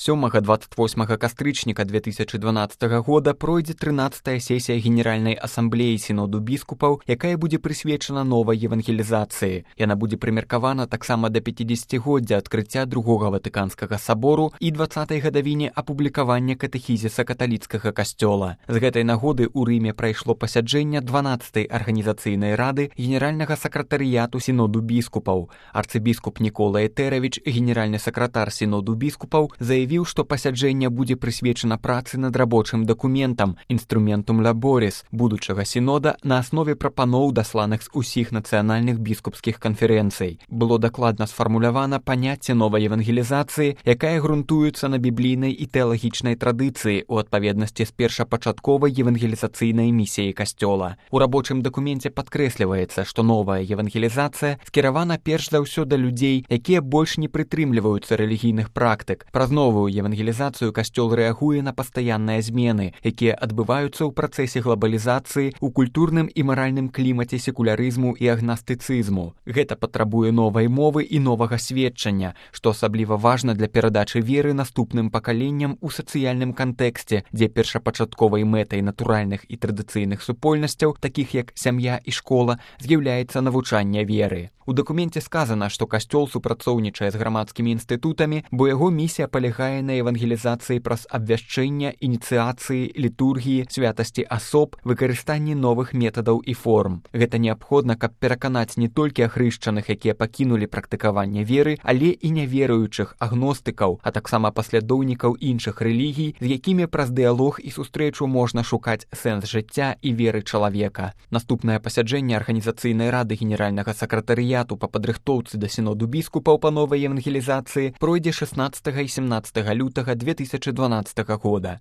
7-28 кастрычніка 2012 года пройдзе 13-я сесія Генеральнай асамблеі сіноду біскупаў, якая будзе прысвечана новай евангелізацыі. Яна будзе прымеркавана таксама да 50-годдзя адкрыцця Другога Ватыканскага сабору і 20-й гадавіне апублікавання катэхізіса каталіцкага касцёла. З гэтай нагоды ў Рыме прайшло пасяджэнне 12-й арганізацыйнай рады генеральнага сакратарыяту сіноду біскупаў. Арцыбіскуп Нікола Этэравіч, генеральны сакратар сіноду біскупаў, заявіў, што пасяджэнне будзе прысвечана працы над рабочым дакументам «Інструментум лаборис» будучага сінода на аснове прапаноў, дасланых з усіх нацыянальных біскупскіх канферэнцый. Было дакладна сфармулявана паняцце новай евангелізацыі, якая грунтуецца на біблійнай і тэалагічнай традыцыі ў адпаведнасці з першапачатковай евангелізацыйнай місіяй касцёла. У рабочым дакуменце падкрэсліваецца, што новая евангелізацыя скіравана перш за ўсё да людзей, якія больш не прытрымліваюцца рэлігійных практык. Праз новую евангелізацыю касцёл рэагуе на пастаянныя змены, якія адбываюцца ў працэсе глобалізацыі, у культурным і маральным клімаце секулярызму і агнастыцызму. Гэта патрабуе новай мовы і новага сведчання, што асабліва важна для перадачы веры наступным пакаленням у сацыяльным кантэксце, дзе першапачатковай мэтай натуральных і традыцыйных супольнасцяў, такіх як сям'я і школа, з'яўляецца навучанне веры. У дакуменце сказана, што касцёл супрацоўнічае з грамадскімі інстытутамі, бо яго місія палягае на евангелізацыі праз абвяшчэння, ініцыяцыі, літургіі, святасці асоб, выкарыстанні новых метадаў і форм. Гэта неабходна, каб пераканаць не толькі ахрышчаных, якія пакінулі практыкаванне веры, але і няверуючых, агностыкаў, а таксама паслядоўнікаў іншых рэлігій, з якімі праз дыялог і сустрэчу можна шукаць сэнс жыцця і веры чалавека. Наступнае пасяджэнне арганізацыйнай рады генеральнага сакратарыяту па падрыхтоўцы да сіноду біскупаў па новай евангелізацыі пройдзе 16 і 17 лютага 2012 года.